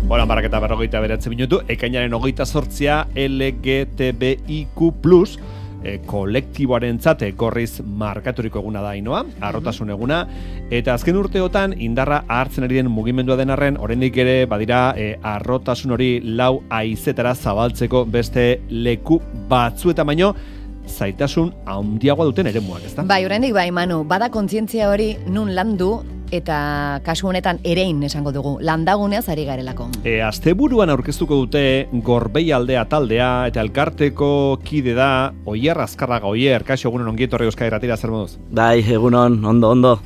Horan baraketa 49 minutu, ekainaren 28 LGTBIQ+, kolektiboaren zate gorriz markaturiko eguna da Ainoa, harrotasun eguna, eta azken urteotan indarra hartzen ari den mugimendua den arren, oraindik ere badira harrotasun hori lau haizetara zabaltzeko beste leku batzuetan baino, zaitasun handiagoa duten eremuak, ezta? Bai, oraindik bai, Manu, bada kontzientzia hori nun landu, eta kasu honetan erein esango dugu, landaguneaz ari garelako. Asteburuan aurkeztuko dute Gorbeialdea taldea eta elkarteko kide da Oier Azkarraga. Oier, kaixo, egunon ongi etorri Euskadi Irratira, zer moduz? Bai, egunon, ondo.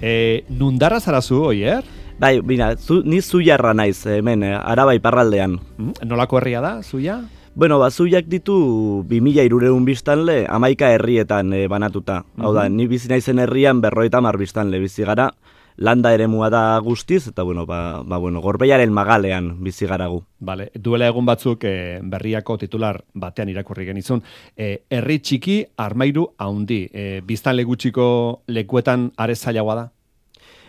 Nundarra zarazu, Oier? Bai, bina, ni Zuiarra naiz, hemen, Araba iparraldean. Nolako herria da, Zuia? Bueno, Zuiak ditu 2300 biztanle 11 herrietan banatuta. Hau da, ni bizi naizen herrian 50 biztanle bizi gara. Landa eremua da guztiz, eta bueno, Gorbeiaren magalean bizi garagu. Vale, duela egun batzuk berriako titular batean irakurri genizun. Herri txiki, armairu haundi. Biztanle gutxiko lekuetan are zailagoa da?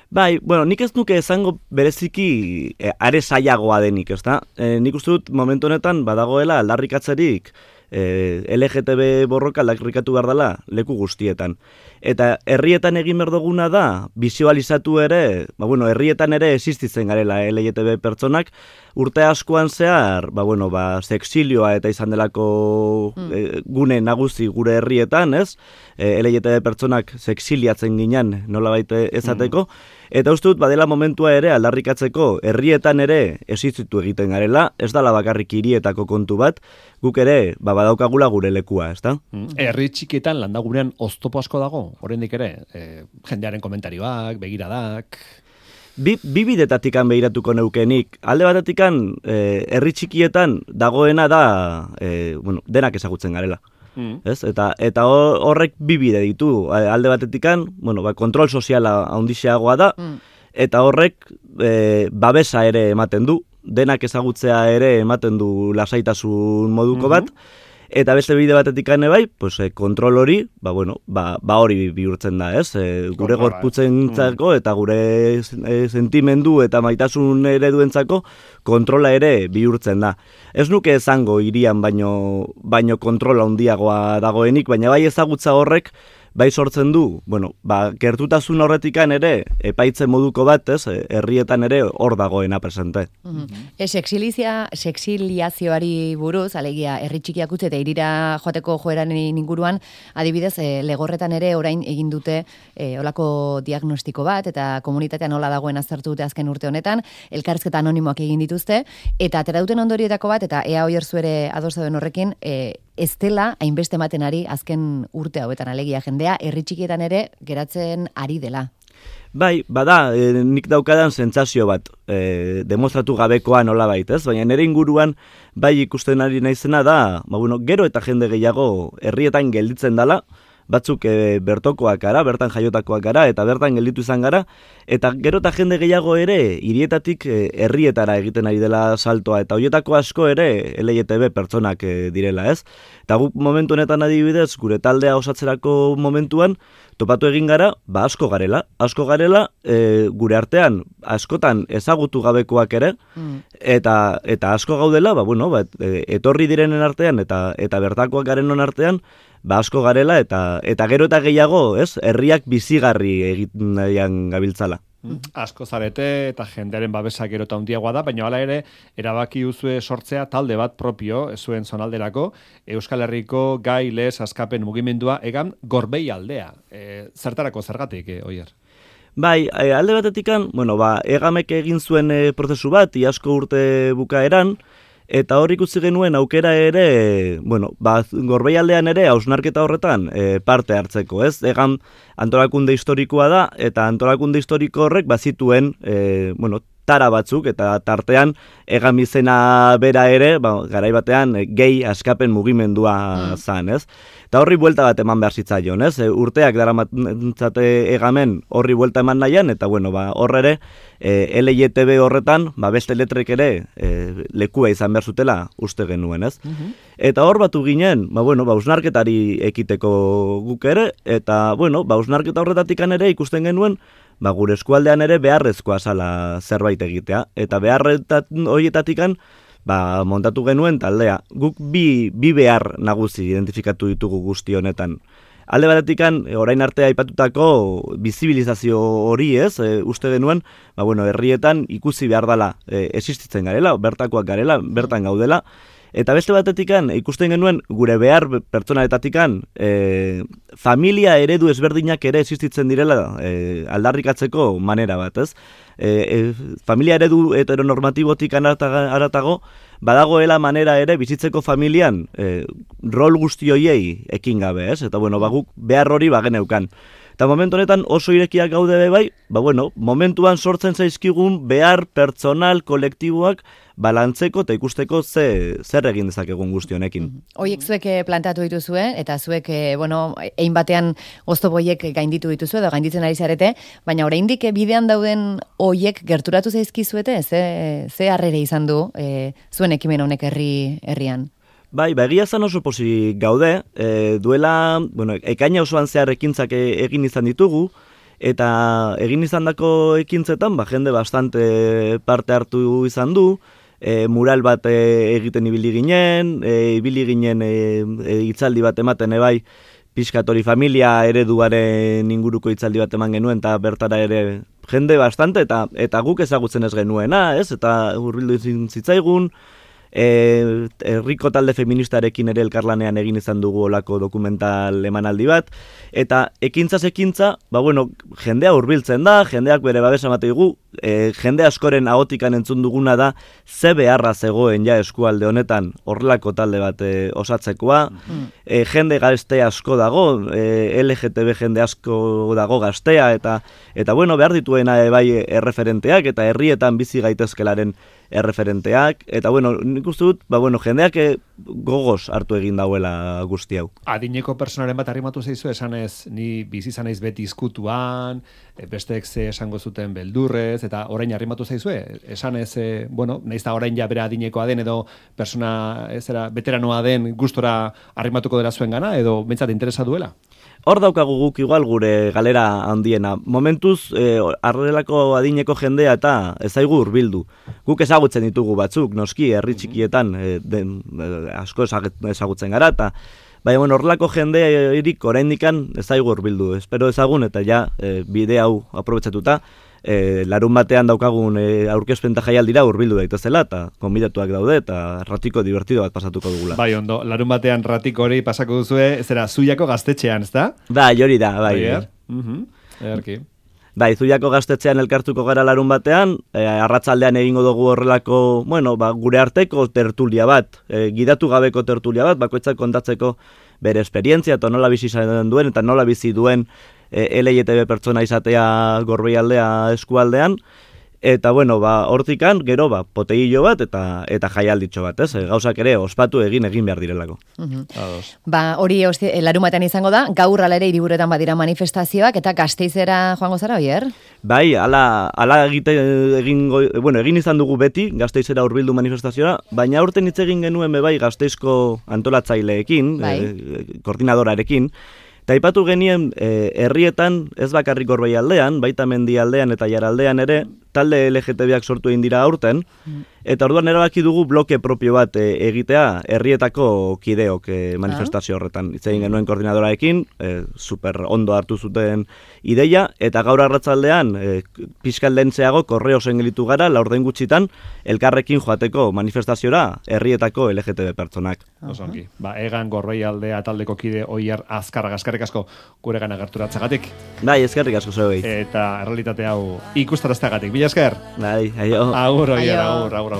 Bai, bueno, nik ez nuke esango bereziki are zailagoa denik, ezta? Nik uste dut momentu honetan badagoela aldarrikatzerik LGTB borroka aldarrikatu behar dela leku guztietan. Eta herrietan egin behar duguna da, bizualizatu ere, herrietan ere existitzen garela LGTB pertsonak, urte askoan zehar, sexilioa eta izan delako gune nagusi gure herrietan, ez? LGTB pertsonak sexiliatzen ginen nolabait ezateko, eta uste dut badela momentua ere aldarrikatzeko herrietan ere existitu egiten garela, ez dala bakarrik hirietako kontu bat, guk ere badaukagula gure lekua, ezta? Herri txikietan landagunean oztopo asko dago, oraindik ere, jendearen komentarioak, begiradak... Bi bidetatikan begiratuko neukenik. Alde batetikan, herri txikietan dagoena da, denak ezagutzen garela. Ez? Eta horrek bi bide ditu. Alde batetikan, kontrol soziala handixeagoa da, eta horrek babesa ere ematen du. Denak ezagutzea ere ematen du lasaitasun moduko bat. Eta beste bide batetik bai, kontrol hori, hori bihurtzen da, ez? Gure gorputzentzako eta gure sentimendu eta maitasun ereduentzako kontrola ere bihurtzen da. Ez nuke esango hirian baino kontrola handiagoa dagoenik, baina bai ezagutza horrek bai sortzen du, gertutasun horretikan ere, epaitzen moduko bat, ez, herrietan ere hor dagoena presente. Sexiliazioari buruz, alegia, herri txikiak utzi eta irira joateko joeran inguruan, adibidez, legorretan ere orain egin dute olako diagnostiko bat, eta komunitatean nola dagoen aztertu dute azken urte honetan, elkarrizketa anonimoak egin dituzte, eta atera duten ondorietako bat, eta ea Oierzu ere ados dauden horrekin, ez dela hainbeste ematen ari azken urte hauetan alegia jendea, herri txikietan ere geratzen ari dela. Bai, bada, nik daukadan sentsazio bat, demostratu gabekoa nolabait, ez? Baina nire inguruan bai ikusten ari naizena da, gero eta jende gehiago herrietan gelditzen dala, batzuk bertokoak gara, bertan jaiotakoak gara, eta bertan gelditu izan gara, eta gero eta jende gehiago ere hirietatik herrietara egiten ari dela saltoa, eta horietako asko ere LGTB pertsonak direla, ez? Eta guk momentu honetan adibidez, gure taldea osatzerako momentuan, topatu egin gara, asko garela, gure artean askotan ezagutu gabekoak ere, eta asko gaudela, etorri direnen artean, eta bertakoak garenon artean, asko garela, eta gero eta gehiago, ez, herriak bizigarri egiten nahian gabiltzala. Asko zarete eta jendearen babesa gero eta handiagoa da, baina hala ere, erabaki duzue sortzea talde bat propio, zuen zonalderako, Euskal Herriko gai lez askapen mugimendua egan Gorbeialdea. Zertarako zergatik, Oier? Bai, alde batetikan, egamek egin zuen prozesu bat, iazko urte bukaeran, eta hor ikusi genuen aukera ere, Gorbeialdean ere hausnarketa horretan parte hartzeko, ez? Egan antolakunde historikoa da, eta antolakunde historiko horrek bazituen, tara batzuk, eta tartean egan bizena bera ere, garai batean gehi askapen mugimendua zan, ez? Eta horri buelta bat eman behar zitzaion, ez? Urteak daramatzate egamen horri buelta eman nahian, eta hor ere, LGTB horretan, beste letrek ere lekua izan behar zutela uste genuen, ez? Eta hor batu ginen, hausnarketari ekiteko guk ere, eta hausnarketa horretatik ere ikusten genuen, gure eskualdean ere beharrezkoa zala zerbait egitea. Eta horietatikan, montatu genuen taldea. Guk bi behar nagusi identifikatu ditugu guzti honetan. Alde batetikan, orain arte aipatutako bizibilizazio hori uste genuen, herrietan ikusi behar dela existitzen garela, bertakoak garela, bertan gaudela, eta beste batetikan ikusten genuen gure behar pertsonaletatik familia eredu ezberdinak ere existitzen direla aldarrikatzeko manera bat, familia eredu heteronormatibotik aratago, badagoela manera ere bizitzeko familian rol guzti hoiei ekin gabe, Eta guk behar hori bageneukan. Eta momentu honetan oso irekiak gaude bai, momentuan sortzen zaizkigun behar pertsonal kolektiboak balantzeko eta ikusteko zer egin dezakegun guzti honekin. Hoiek zuek plantatu dituzue, eta zuek, egin batean oztopoiek gainditu dituzue, edo gainditzen ari zarete, baina oraindik bidean dauden hoiek gerturatu zaizkizuete, ze harrere izan du zuen ekimen honek herrian? Bai, egia zan oso pozik gaude, duela, ekaina osoan zehar ekintzak egin izan ditugu, eta egin izan dako ekintzetan, jende bastante parte hartu izan du, mural bat egiten ibili ginen hitzaldi bat ematen bai, pixkatori familia ereduaren inguruko hitzaldi bat eman genuen, eta bertara ere jende bastante, eta guk ezagutzen ez genuena, eta hurbildu zitzaigun, herriko talde feministarekin ere elkarlanean egin izan dugu olako dokumental emanaldi bat, eta ekintzaz ekintza, jendea hurbiltzen da, jendeak bere babesa ematen digu, jende askoren ahotikan entzun duguna da, ze beharra zegoen ja eskualde honetan horrelako talde bat osatzekoa, jende gazte asko dago, LGTB jende asko dago gaztea, eta behar dituena bai erreferenteak, eta herrietan bizi gaitezkelaren erreferenteak, eta nik uste dut, jendeak gogoz hartu egin dauela guzti hau. Adineko personaren bat arrimatu zeizu, esanez, ni bizi zanaiz beti izkutuan, besteek ze esango zuten beldurrez, eta orain arrimatu zaizue, esanez, nahiz da orain ja bera adinekoa den, edo persona, veteranoa den gustora arrimatuko dela zuen gana, edo bentsat interesa duela? Hor daukagu guk igual gure galera handiena. Momentuz, arrelako adineko jendea eta ezaigu hurbildu. Guk ezagutzen ditugu batzuk, noski, herri txikietan asko ezagutzen gara, eta horrelako jende irik oraindikan ezaigu hurbildu. Espero ezagun, eta ja, bide hau aprobetxatuta, larun batean daukagun aurkezpen jaialdira hurbildu daitezela, eta konbidatuak daude, eta ratiko divertido bat pasatuko dugula. Bai, ondo, larun batean ratiko hori pasako duzue, Zuiako gaztetxean, ezta? Bai, hori da, bai. Ederki. Bai, Zuiako gaztetxean elkartuko gara larun batean, arratzaldean egingo dugu horrelako, gure arteko tertulia bat, gidatu gabeko tertulia bat, bakoitzak kontatzeko bere esperientzia, eta nola bizi izan duen, eta nola bizi duen LGTB pertsona izatea Gorbeialdea eskualdean, eta hortikan, gero, poteillo bat eta jaialditxo bat, gauzak ere ospatu egin behar direlako. Hori larumatean izango da, gaur ala ere hiriburuetan badira manifestazioak, eta Gasteizera joango zara, Oier? Bai, egin izan dugu beti, Gasteizera hurbildu manifestazioa, baina aurten hitz egin genuen bai Gasteizko antolatzaileekin, koordinadorarekin, eta aipatu genien herrietan, ez bakarrik Gorbeialdean, baita Mendialdean eta Jaraldean ere, talde LGTBak sortu egin dira aurten, eta orduan erabaki dugu bloke propio bat egitea herrietako kideok manifestazio horretan. Hitz egin genuen koordinadoraekin, super ondo hartu zuten ideia, eta gaur arratzaldean pixkaldentzeago korreosen gelitu gara, laurden gutxitan, elkarrekin joateko manifestaziora herrietako LGTB pertsonak. Osongi, egan Gorbeialdea taldeko kide Oier Azkarraga, eskerrik asko guregan agerturatzagatik. Bai, eskerrik asko zeuei. Eta errealitate hau ikustarazteagatik. Mila esker. Bai, aio. Agur, Oier, agur.